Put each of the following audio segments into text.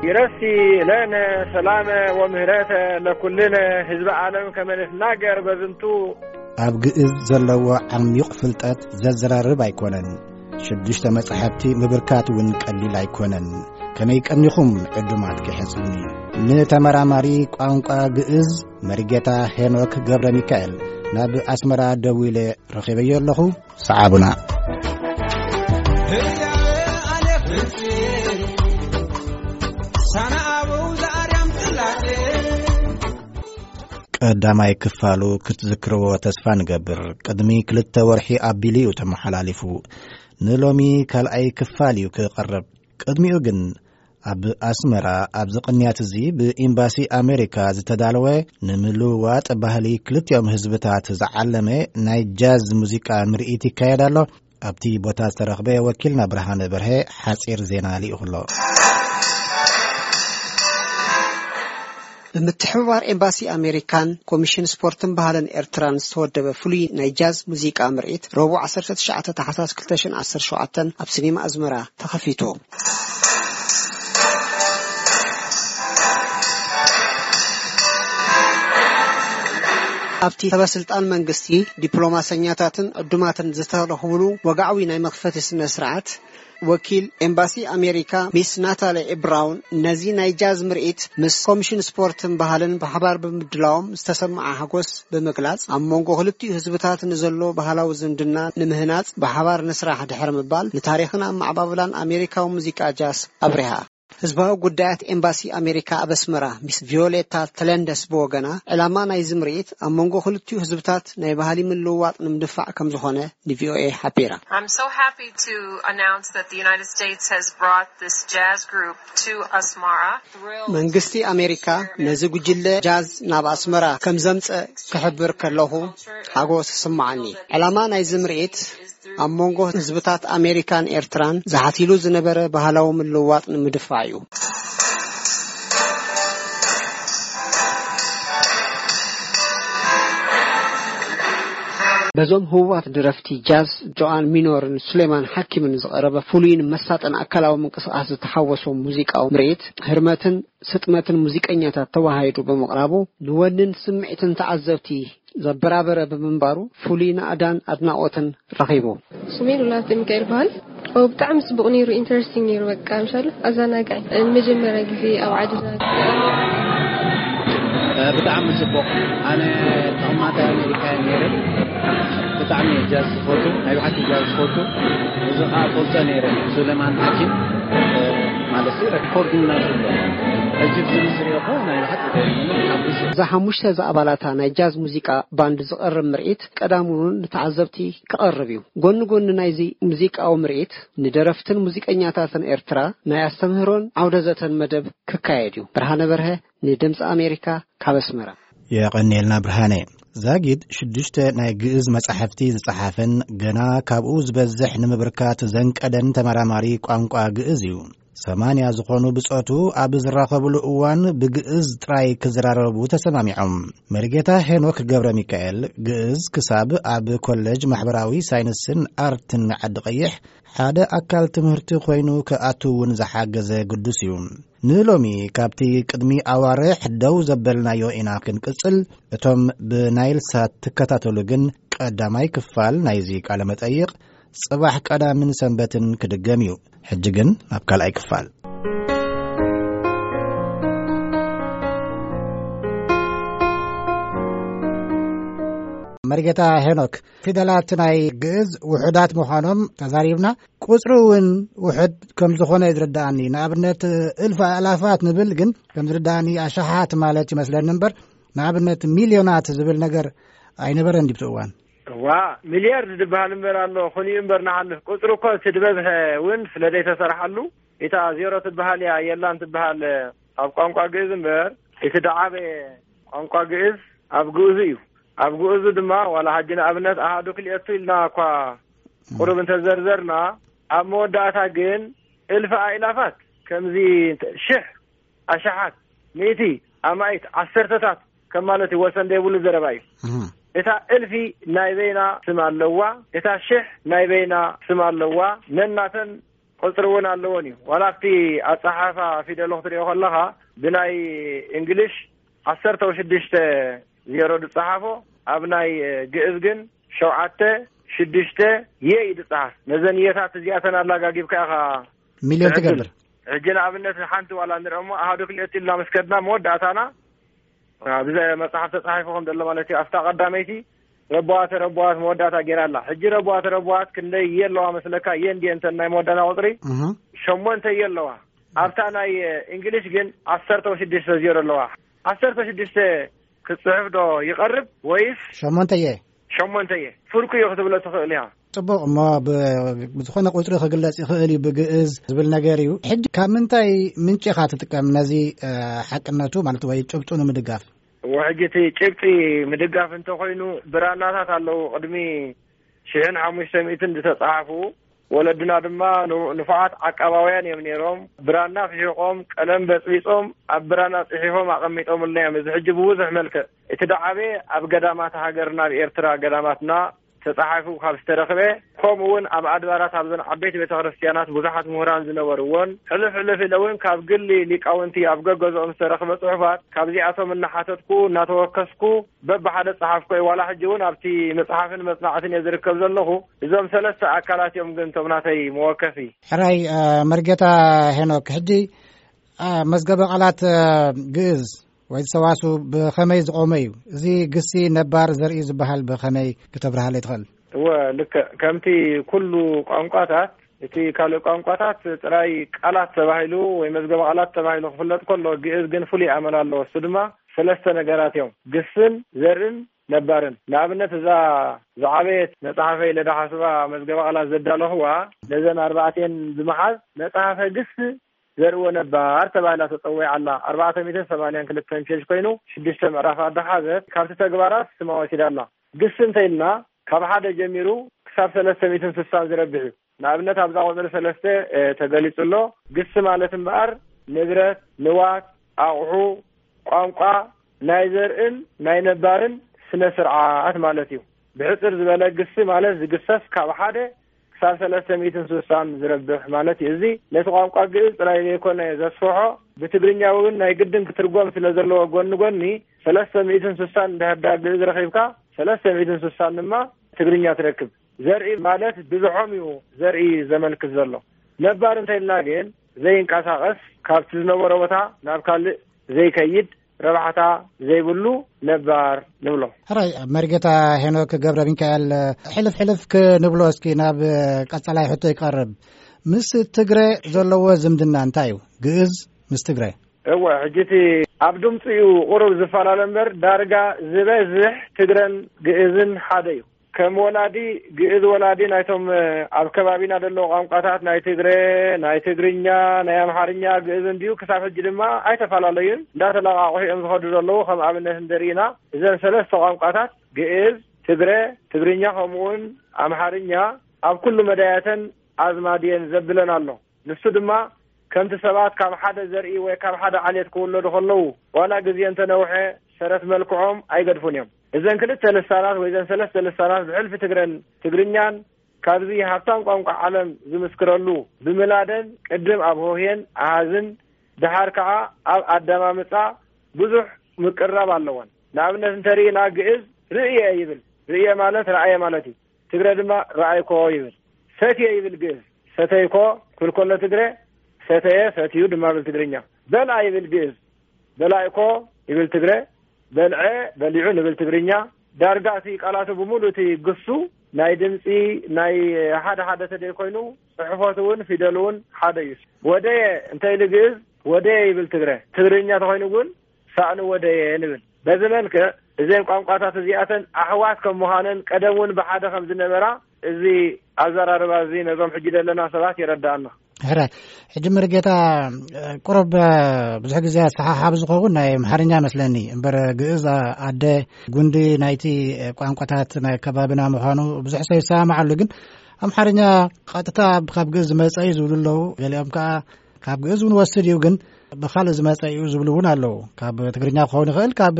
ይረሲ ለነ ሰላመ ወምህረተ ለኩልነ ህዝቢ ዓለም ከመ ንትናገር በዝንቱ። ኣብ ግእዝ ዘለዎ ዓሚቕ ፍልጠት ዘዘራርብ ኣይኮነን። ሽዱሽተ መጻሕፍቲ ምብርካት እውን ቀሊል ኣይኮነን። ከመይ ቀኒኹም ዕዱማት ክሕጽኒ። ንተመራማሪ ቋንቋ ግእዝ መሪጌታ ሄኖክ ገብረ ሚካኤል ናብ ኣስመራ ደዊለ ረኺበዮ ኣለኹ። ሰዓቡና። ቀዳማይ ክፋሉ ክትዝክርዎ ተስፋ ንገብር። ቅድሚ ክልተ ወርሒ ኣቢሉ እዩ ተመሓላሊፉ። ንሎሚ ካልኣይ ክፋል እዩ ክቐርብ። ቅድሚኡ ግን ኣብ ኣስመራ ኣብዚ ቅንያት እዚ ብኤምባሲ ኣሜሪካ ዝተዳለወ ንምልውዋጥ ባህሊ ክልቲኦም ህዝብታት ዝዓለመ ናይ ጃዝ ሙዚቃ ምርኢት ይካየድ ኣሎ። ኣብቲ ቦታ ዝተረኽበ ወኪልና ብርሃነ በርሀ ሓጺር ዜና ልኢኹ ኣሎ። ብምትሕብባር ኤምባሲ ኣሜሪካን ኮሚሽን ስፖርትን ባህልን ኤርትራን ዝተወደበ ፍሉይ ናይ ጃዝ ሙዚቃ ምርኢት ረቡዕ ዓሰርተ ትሽዓተ ታሕሳስ ክልተ ሽሕን ዓሰርተ ሸውዓተን ኣብ ሲኒማ ኣዝመራ ተኸፊቱ። ኣብቲ ሰበስልጣን መንግስቲ፣ ዲፕሎማሰኛታትን ዕዱማትን ዝተረኽብሉ ወግዓዊ ናይ መኽፈቲ ስነ ስርዓት፣ ወኪል ኤምባሲ ኣሜሪካ ሚስ ናታሊ ብራውን ነዚ ናይ ጃዝ ምርኢት ምስ ኮሚሽን ስፖርትን ባህልን ብሓባር ብምድላዎም ዝተሰምዓ ሓጎስ ብምግላጽ፣ ኣብ መንጎ ክልቲኡ ህዝብታት ንዘሎ ባህላዊ ዝምድና ንምህናጽ ብሓባር ንስራሕ ድሕሪ ምባል፣ ንታሪኽን ኣመዓባብላን ኣሜሪካዊ ሙዚቃ ጃዝ ኣብሪሃ። ህዝባዊ ጉዳያት ኤምባሲ ኣሜሪካ ኣብ ኣስመራ ሚስ ቪዮሌታ ተለንደስ ብወገና፣ ዕላማ ናይዚ ምርኢት ኣብ መንጎ ክልቲኡ ህዝብታት ናይ ባህሊ ምልውዋጥ ንምድፋዕ ከም ዝኾነ ንቪኦኤ ሓቢራ። I'm so happy to announce that the United States has brought this jazz group to Asmara. መንግስቲ ኣሜሪካ ነዚ ጉጅለ ጃዝ ናብ ኣስመራ ከም ዘምጸ ክሕብር ከለኹ ሓጎስ ይስምዓኒ። ዕላማ ናይዚ ምርኢት ኣብ መንጎ ህዝብታት ኣሜሪካን ኤርትራን ዝሓቲሉ ዝነበረ ባህላዊ ምልውዋጥ ንምድፋዕ እዩ። በዞም ህቡባት ደረፍቲ ጃዝ ጆኣን ሚኖርን ሱሌማን ሓኪምን ዝቐረበ ፍሉይን መሳጥን ኣካላዊ ምንቅስቓስ ዝተሓወሶ ሙዚቃዊ ምርኢት፣ ህርመትን ስጥመትን ሙዚቀኛታት ተወሃሂዱ ብምቕራቡ፣ ንወንን ስምዒትን ተዓዘብቲ ዘበራበረ ብምንባሩ፣ ፍሉይ ናእዳን ኣድናቖትን ረኺቡ። ስሜ ሉላ ሚካኤል በሃል። ኦ፣ ብጣዕሚ ጽቡቕ ነይሩ፣ ኢንተረስቲንግ ነይሩ። በቃ፣ ምሻሉ ኣዘናጋዒ። ንመጀመርያ ግዜ ኣብ ዓድና። እ፣ ብጣዕሚ ጽቡቕ። ኣነ ተቐማጣይ ኣሜሪካ እየ ነይረ። ብጣዕሚ እየ ጃዝ ዝፈቱ፣ ናይ ብሓቂ ጃዝ ዝፈቱ። እዚ ኸኣ ፈልጦ ነይረ። ሱሌማን ሓኪም፣ እ፣ ማለት ሲ ሬኮርዲንግ ናይ ዘሎ። ሕጂ ብዚ ምስ ሪኦ እኮ ናይ ብሓቂ ተሓጒሰ። እዛ ሓሙሽተ ዝኣባላታ ናይ ጃዝ ሙዚቃ ባንድ ዝቐርብ ምርኢት ቀዳም እውን ንተዓዘብቲ ክቐርብ እዩ። ጎኒ ጎኒ ናይዚ ሙዚቃዊ ምርኢት፣ ንደረፍትን ሙዚቀኛታትን ኤርትራ ናይ ኣስተምህሮን ዓውደ ዘተን መደብ ክካየድ እዩ። ብርሃነ በርሀ ንድምፂ ኣሜሪካ ካብ ኣስመራ። የቐንየልና ብርሃነ። ዛጊድ ሽዱሽተ ናይ ግእዝ መጻሕፍቲ ዝጸሓፈን ገና ካብኡ ዝበዝሕ ንምብርካት ዘንቀደን ተመራማሪ ቋንቋ ግእዝ እዩ። ሰማንያ ዝኾኑ ብጾቱ ኣብ ዝራኸብሉ እዋን ብግእዝ ጥራይ ክዝራረቡ ተሰማሚዖም። መሪጌታ ሄኖክ ገብረ ሚካኤል ግእዝ ክሳብ ኣብ ኮሌጅ ማሕበራዊ ሳይንስን ኣርትን ዓዲ ቀይሕ ሓደ ኣካል ትምህርቲ ኮይኑ ክኣቱ እውን ዝሓገዘ ግዱስ እዩ። ንሎሚ ካብቲ ቅድሚ ኣዋርሕ ደው ዘበልናዮ ኢና ክንቅጽል። እቶም ብናይል ሳት ትከታተሉ ግን ቀዳማይ ክፋል ናይዚ ቃለ መጠይቕ ጽባሕ ቀዳምን ሰንበትን ክድገም እዩ። ሕጂ ግን ናብ ካልኣይ ክፋል። መሪጌታ ሄኖክ፣ ፊደላት ናይ ግእዝ ውሑዳት ምዃኖም ተዛሪብና፣ ቁጽሪ እውን ውሑድ ከም ዝኾነ እዩ ዝርድኣኒ። ንኣብነት፣ እልፍ ኣእላፋት ንብል፣ ግን ከም ዝርድኣኒ ኣሽሓት ማለት ይመስለኒ እምበር፣ ንኣብነት፣ ሚልዮናት ዝብል ነገር ኣይነበረን ድዩ ኣብቲ እዋን? እዋ፣ ሚልያርድ ዝበሃል እምበር ኣሎ፣ ኾን እዩ እምበር ንሓልፍ። ቁጽሪ እኮ እቲ ዝበዝሐ እውን ስለ ዘይተሰርሓሉ፣ እታ ዜሮ ትበሃል እያ፣ የላን ትበሃል ኣብ ቋንቋ ግእዝ እምበር፣ እቲ ደዓበየ ቋንቋ ግእዝ ኣብ ግእዙ እዩ። ኣብ ግእዙ ድማ ዋላ ሕጂ ንኣብነት ኣሃዱ ክልኤቱ ኢልና እኳ ቁሩብ እንተዘርዘርና፣ ኣብ መወዳእታ ግን እልፊ ኣእላፋት ከምዚ ሽሕ ኣሽሓት፣ ሚእቲ፣ ኣማኢት፣ ዓሰርተታት ከም ማለት እዩ። ወሰን ዘይብሉ ዘረባ እዩ። እህ። እታ እልፊ ናይ በይና ስም ኣለዋ፣ እታ ሽሕ ናይ በይና ስም ኣለዋ፣ ነናተን ቁጽሪ እውን ኣለወን እዩ። ዋላ ኣብቲ ኣጸሓሕፋ ፊደሉ ክትሪኦ ከለኻ ብናይ እንግሊሽ ዓሰርተ ሽዱሽተ ዜሮ ዝጸሓፎ፣ ኣብ ናይ ግእዝ ግን ሸውዓተ ሽዱሽተ የ እዩ ዝጸሓፍ። ነዘን የታት እዚኣተን ኣላጋጊብካ ኢኻ ሚልዮን ትዕድል። ትገብር። ሕጂ ንኣብነት ሓንቲ ዋላ ንርአ እሞ ኣሃዱ ክልኤቱ ኢልና ምስ ከድና መወዳእታና ኣብዚ መጽሓፍ ተጻሒፉ ከም ዘሎ ማለት እዩ። ኣብታ ቀዳመይቲ ረበዋ ተረበዋት መወዳእታ ገይራ ኣላ። ሕጂ ረበዋ ተረበዋት ክንደይ እየ ኣለዋ መስለካ? እየ እንድየ እንተ ናይ መወዳእታ ቁጽሪ እህ። ሸሞንተ እየ ኣለዋ። ኣብታ ናይ እንግሊሽ ግን ዓሰርተ ሽዱሽተ ዜሮ ኣለዋ። ዓሰርተ ሽዱሽተ ክትጽሕፍ ዶ ይቐርብ ወይስ ሸሞንተ እየ። ሸሞንተ እየ? ፍርቁ እዩ ክትብሎ ትኽእል ኢኻ። ጽቡቕ እሞ ብ- ብዝኾነ ቁጽሪ ክግለጽ ይኽእል እዩ ብግእዝ ዝብል ነገር እዩ። ሕጂ ካብ ምንታይ ምንጪ ኢኻ ትጥቀም ነዚ እ፣ ሓቅነቱ ማለት ወይ ጭብጡ ንምድጋፍ? እዎ፣ ሕጂ እቲ ጭብጢ ምድጋፍ እንተኾይኑ ብራናታት ኣለዉ። ቅድሚ ሽሕን ሓሙሽተ ሚእትን ዝተጻሓፉ፣ ወለድና ድማ ን- ንፉዓት ዓቃባውያን እዮም ነይሮም። ብራና ፍሒቖም፣ ቀለም በጽቢጾም፣ ኣብ ብራና ጽሒፎም ኣቐሚጦምልና እዮም። እዚ ሕጂ ብብዙሕ መልክዕ እቲ ደዓበየ ኣብ ገዳማት ሃገርና፣ ኣብ ኤርትራ ገዳማትና ተጻሒፉ ካብ ዝተረኽበ፣ ከምኡ እውን ኣብ ኣድባራት ኣብዘን ዓበይቲ ቤተ ክርስቲያናት ብዙሓት ምሁራን ዝነበርዎን ሕልፍ ሕልፍ ኢለ እውን ካብ ግሊ ሊቃውንቲ ኣብ ገገዝኦም ዝተረኽበ ጽሑፋት ካብዚኣቶም እናሓተትኩ እናተወከስኩ በብሓደ ጸሓፍኮ እዩ። ዋላ ሕጂ እውን ኣብቲ መጽሓፍን መጽናዕትን እየ ዝርከብ ዘለኹ። እዞም ሰለስተ ኣካላት እዮም ግን እቶም ናተይ መወከሲ። ሕራይ እ፣ መርጌታ ሄኖክ፣ ሕጂ እ፣ መዝገበ ቃላት እ፣ ግእዝ ወይ ሰዋሱ ብኸመይ ዝቖመ እዩ? እዚ ግሲ ነባር ዘርኢ ዝበሃል ብኸመይ ክተብርሃለይ ትኽእል? እወ፣ ልክዕ ከምቲ ኩሉ ቋንቋታት፣ እቲ ካልእ ቋንቋታት ጥራይ ቃላት ተባሂሉ ወይ መዝገበ ቃላት ተባሂሉ ክፍለጥ ከሎ፣ ግእዝ ግን ፍሉይ ኣመል ኣለዎ። እሱ ድማ ሰለስተ ነገራት እዮም፣ ግስን ዘርእን ነባርን። ንኣብነት እዛ ዝዓበየት መጽሓፈይ ለዳ ሓስባ መዝገበ ቃላት ዘዳለኽዋ ነዘን ኣርባዕቴን ብምሓዝ መጽሓፈ ግስ ዘርእዎ ነባር ተባሂላ ተጸዊዓ ኣላ። ኣርባዕተ ሚእትን ሰማንያን ክልተን ፔጅ ኮይኑ ሽዱሽተ ምዕራፋት ዝሓዘት ካብቲ ተግባራት ስማ ወሲዳ ኣላ። ግስ እንተ ኢልና ካብ ሓደ ጀሚሩ ክሳብ ሰለስተ ሚእትን ስሳን ዝረብሕ እዩ። ንኣብነት ኣብዛ ቁጽሪ ሰለስተ እ፣ ተገሊጹ ኣሎ። ግስ ማለት እምበኣር ንብረት፣ ንዋት፣ ኣቑሑ፣ ቋንቋ፣ ናይ ዘርእን ናይ ነባርን ስነ ስርዓት ማለት እዩ። ብሕጽር ዝበለ ግሲ ማለት ዝግሰስ ካብ ሓደ ክሳብ ሰለስተ ሚእትን ስሳን ዝረብሕ ማለት እዩ። እዚ ነቲ ቋንቋ ግእዝ ጥራይ ዘይኮነ ዘስፍሖ፣ ብትግርኛ እውን ናይ ግድን ክትርጎም ስለ ዘለዎ ጎኒ ጎኒ ሰለስተ ሚእትን ስሳን እንድሕር ደኣ ግእዝ ረኺብካ ሰለስተ ሚእትን ስሳን ድማ ትግርኛ ትረክብ። ዘርኢ ማለት ብዝሖም እዩ ዘርኢ ዘመልክት ዘሎ። ነባር እንተ ኢልና ግን ዘይንቀሳቐስ ካብቲ ዝነበሮ ቦታ ናብ ካልእ ዘይከይድ ረብሓታ ዘይብሉ ነባር ንብሎ። ሕራይ መርጌታ ሄኖክ ገብረ ሚካኤል ሕልፍ ሕልፍ ክንብሎ እስኪ ናብ ቀጻላይ ሕቶ ይቀርብ። ምስ ትግረ ዘለዎ ዝምድና እንታይ እዩ? ግእዝ ምስ ትግረ? እወ፣ ሕጂ እቲ ኣብ ድምፂ እዩ ቁሩብ ዝፈላለ እምበር ዳርጋ ዝበዝሕ ትግረን ግእዝን ሓደ እዩ። ከም ወላዲ ግእዝ ወላዲ ናይቶም ኣብ ከባቢና ዘለዉ ቋንቋታት ናይ ትግረ፣ ናይ ትግርኛ፣ ናይ ኣምሓርኛ ግእዝ እንድዩ። ክሳብ ሕጂ ድማ ኣይተፈላለዩን፣ እንዳተለቓቑሑ እዮም ዝኸዱ ዘለዉ። ከም ኣብነት እንተሪኢና እዘን ሰለስተ ቋንቋታት ግእዝ፣ ትግረ፣ ትግርኛ ከምኡውን ኣምሓርኛ ኣብ ኩሉ መዳያተን ኣዝማድ እየን ዘብለን ኣሎ። ንሱ ድማ ከምቲ ሰባት ካብ ሓደ ዘርኢ ወይ ካብ ሓደ ዓሌት ክውለዱ ከለዉ ዋላ ግዜ እንተነውሐ ሰረት መልክዖም ኣይገድፉን እዮም። እዘን ክልተ ልሳናት ወይ እዘን ሰለስተ ልሳናት ብሕልፊ ትግረን ትግርኛን ካብዚ ሃብታም ቋንቋ ዓለም ዝምስክረሉ ብምላደን ቅድም ኣብ ሆሄን ኣሃዝን ደሓር ከዓ ኣብ ኣደማምጻ ብዙሕ ምቅርራብ ኣለወን። ንኣብነት እንተሪእና ግእዝ ርእየ ይብል። ርእየ ማለት ረኣየ ማለት እዩ። ትግረ ድማ ረኣይኮ ይብል። ሰትየ ይብል ግእዝ። ሰተይኮ ክብል ከሎ ትግረ ሰተየ ሰትዩ ድማ ብል ትግርኛ። በልዐ ይብል ግእዝ። በላዕኮ ይብል ትግረ። በልዐ በሊዑ ንብል ትግርኛ። ዳርጋ እቲ ቃላቱ ብምሉእ እቲ ግሱ ናይ ድምፂ ናይ ሓደ ሓደ ተደይ ኮይኑ ፅሕፈቱ እውን ፊደሉ እውን ሓደ እዩ። ወደየ እንተ ኢሉ ግእዝ ወደየ ይብል ትግረ። ትግርኛ ተኾይኑ እውን ሳእኒ ወደየ ንብል። በዚ መልክዕ እዘን ቋንቋታት እዚኣተን ኣሕዋት ከም ምዃነን ቀደም እውን ብሓደ ከም ዝነበራ እዚ ኣዘራርባ እዚ ነዞም ሕጂ ዘለና ሰባት የረድኣና። ሕረ ሕጂ መርጌታ ቁሩብ ብዙሕ ግዜ ኣሰሓሓብ ዝኸውን ናይ ኣምሓርኛ መስለኒ እምበር ግእዝ ኣደ ጉንዲ ናይቲ ቋንቋታት ናይ ከባቢና ምዃኑ ብዙሕ ሰብ ይሰማማዓሉ። ግን ኣምሓርኛ ቀጥታ ካብ ግእዝ ዝመጸ እዩ ዝብሉ ኣለዉ። ገሊኦም ከኣ ካብ ግእዝ እውን ወስድ እዩ። ግን ብኻልእ ዝመጸ እዩ ዝብሉ እውን ኣለዉ። ካብ ትግርኛ ክኸውን ይኽእል፣ ካብ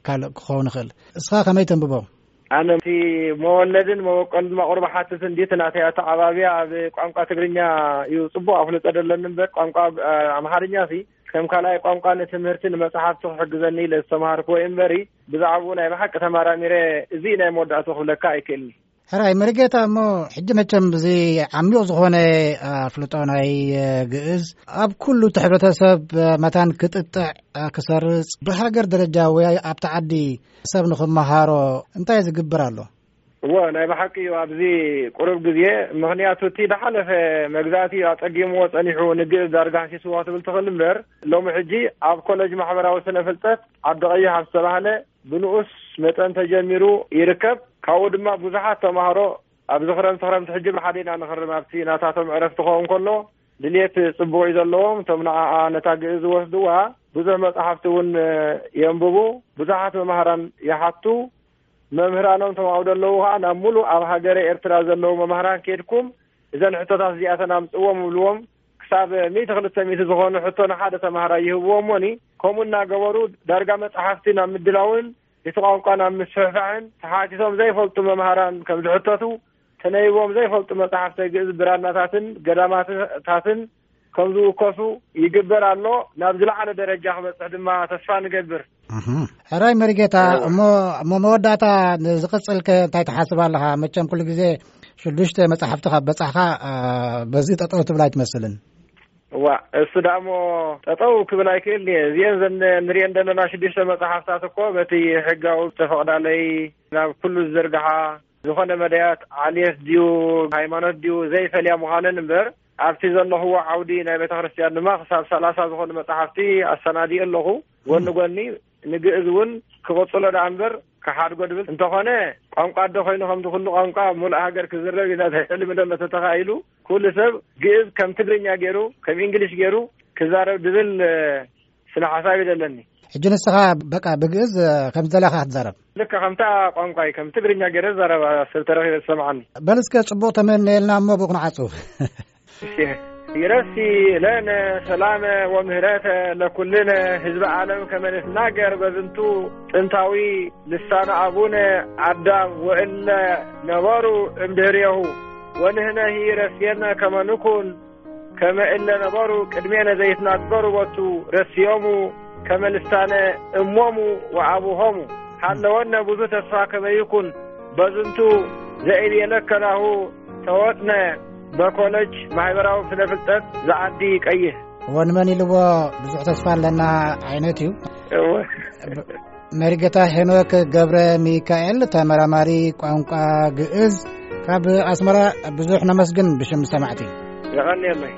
ካልእ ክኸውን ይኽእል። እስኻ ከመይ ተንብቦ? ኣነ እቲ መወለድን መበቆልን ማቑር ብሓትትን እንዲት ናተይ ኣተዓባብያ ኣብ ቋንቋ ትግርኛ እዩ ጽቡቕ ኣፍልጦ ደለኒ እምበር፣ ቋንቋ ኣምሓርኛ ሲ ከም ካልኣይ ቋንቋ ንትምህርቲ ንመጽሓፍቲ ክሕግዘኒ ኢለ ዝተምሃርክዎ እዩ እምበሪ፣ ብዛዕባኡ ናይ ብሓቂ ተማራሚረ እዚ ናይ መወዳእቱ ክብለካ ኣይክእልኒ። ሕራይ መሪጌታ፣ እሞ ሕጂ መቸም እዚ ዓሚቕ ዝኾነ ኣፍልጦ ናይ ግእዝ ኣብ ኩሉ እቲ ሕብረተሰብ መታን ክጥጥዕ፣ ክሰርጽ፣ ብሃገር ደረጃ ወይ ኣብቲ ዓዲ ሰብ ንኽመሃሮ እንታይ ዝግብር ኣሎ? እዎ፣ ናይ ብሓቂ እዩ። ኣብዚ ቁሩብ ግዜ፣ ምኽንያቱ እቲ ዝሓለፈ መግዛእቲ እዩ ኣጸጊምዎ ጸኒሑ፣ ንግእዝ ዳርጋ ሃሲስዎ ክትብል ትኽእል እምበር፣ ሎሚ ሕጂ ኣብ ኮለጅ ማሕበራዊ ስነ ፍልጠት ዓዲ ቀይሕ ኣብ ዝተባህለ ብንኡስ መጠን ተጀሚሩ ይርከብ። ካብኡ ድማ ብዙሓት ተማሃሮ ኣብዚ ክረምቲ ክረምቲ ሕጂ ብሓደ ኢና ንኽርም፣ ኣብቲ ናታቶም ዕረፍቲ ክኸውን ከሎ ድልየት ጽቡቕ እዩ ዘለዎም። እቶም ንዓኣ ነታ ግእዝ ዝወስድዋ ብዙሕ መጻሕፍቲ እውን የንብቡ። ብዙሓት መማህራን ይሓቱ። መምህራኖም ተማውዶ ኣለዉ ኸዓ ናብ ሙሉእ ኣብ ሃገረ ኤርትራ ዘለዉ መማህራን ኬድኩም እዘን ሕቶታት እዚኣተን ኣምጽእዎም ይብልዎም። ክሳብ ሚእቲ ክልተ ሚእቲ ዝኾኑ ሕቶ ንሓደ ተማሃራይ ይህብዎ እሞኒ፣ ከምኡ እናገበሩ ዳርጋ መጻሕፍቲ ናብ ምድላውን እቲ ቋንቋ ናብ ምስፍሕፋሕን ተሓቲቶም ዘይፈልጡ መምሃራን ከም ዝሕተቱ፣ ተነቢቦም ዘይፈልጡ መጻሕፍተ ግእዝ ብራናታትን ገዳማትታትን ከም ዝውከሱ ይግበር ኣሎ። ናብ ዝለዓለ ደረጃ ክበጽሕ ድማ ተስፋ ንገብር። እህ። ሕራይ መሪጌታ፣ እወ። እሞ፣ እሞ መወዳእታ ንዝቕጽል ከ እንታይ ትሓስብ ኣለኻ? መቸም ኩሉ ግዜ ሽዱሽተ መጻሕፍቲ ካብ በጻሕኻ፣ አ፣ በዚ ጠጠው ትብል ኣይትመስልን። እዋ፣ እሱ ደኣ እሞ ጠጠው ክብል ኣይክእልን እየ። እዚአን ዘን ንሪአን ዘለና ሽዱሽተ መጽሓፍታት እኮ በቲ ሕጋዊ ዝተፈቕዳለይ ናብ ኩሉ ዝዝርግሓ ዝኾነ መዳያት ዓሌት ድዩ ሃይማኖት ድዩ ዘይፈልያ ምዃነን እምበር፣ ኣብቲ ዘለኽዎ ዓውዲ ናይ ቤተ ክርስቲያን ድማ ክሳብ ሰላሳ ዝኾኑ መጽሓፍቲ ኣሰናዲኡ ኣለኹ። ጎኒ ጎኒ ንግእዝ እውን ክቕጽሎ ደኣ እምበር ክሓድጎ ድብል እንተኾነ፣ ቋንቋ ኣደ ኮይኑ ከምቲ ኩሉ ቋንቋ ኣብ ሙሉእ ሃገር ክዝረብ ኢና ሕልሚ ደሎ ተተኻኢሉ፣ ኩሉ ሰብ ግእዝ ከም ትግርኛ ገይሩ፣ ከም እንግሊሽ ገይሩ ክዛረብ ድብል፣ እ፣ ስነ ሓሳብ እዩ ዘለኒ። ሕጂ ንስኻ በቃ ብግእዝ፣ እ፣ ከም ዝደለኻ ክትዛረብ። ልክዕ ከምታ ቋንቋይ ከም ትግርኛ ገይረ ዝዛረባ ሰብ ተረኺበ ዝሰምዓኒ። በል እስከ ጽቡቕ ተመነየልና እሞ ብኡ ክንዓጹ። እሺ። ይረሲ ለነ ሰላመ ወምህረተ ለኩልነ ህዝበ ዓለም ከመ ንትናገር በዝንቱ ጥንታዊ ልሳነ ኣቡነ ኣዳም ወእለ ነበሩ እምድህሬሁ ወንህነሂ ረስየነ ከመ ንኩን ከመ እለ ነበሩ ቅድሜነ ዘይትናገሩ ቦቱ ረስዮሙ ከመ ልሳነ እሞሙ ወኣቡሆሙ ሃለወነ ብዙ ተስፋ ከመ ይኩን በዝንቱ ዘእብየለከ ናሁ ተወጥነ በኮለጅ ማሕበራዊ ስነ ፍልጠት ዝዓዲ ቀይሕ። ወንመን ኢልዎ ብዙሕ ተስፋ ኣለና ዓይነት እዩ። እወ። ብ-፣ መሪጌታ ሄኖክ ገብረ ሚካኤል፣ ተመራማሪ ቋንቋ ግእዝ፣ ካብ ኣስመራ ብዙሕ ነመስግን ብሽም ሰማዕቲ። የቐንየለይ።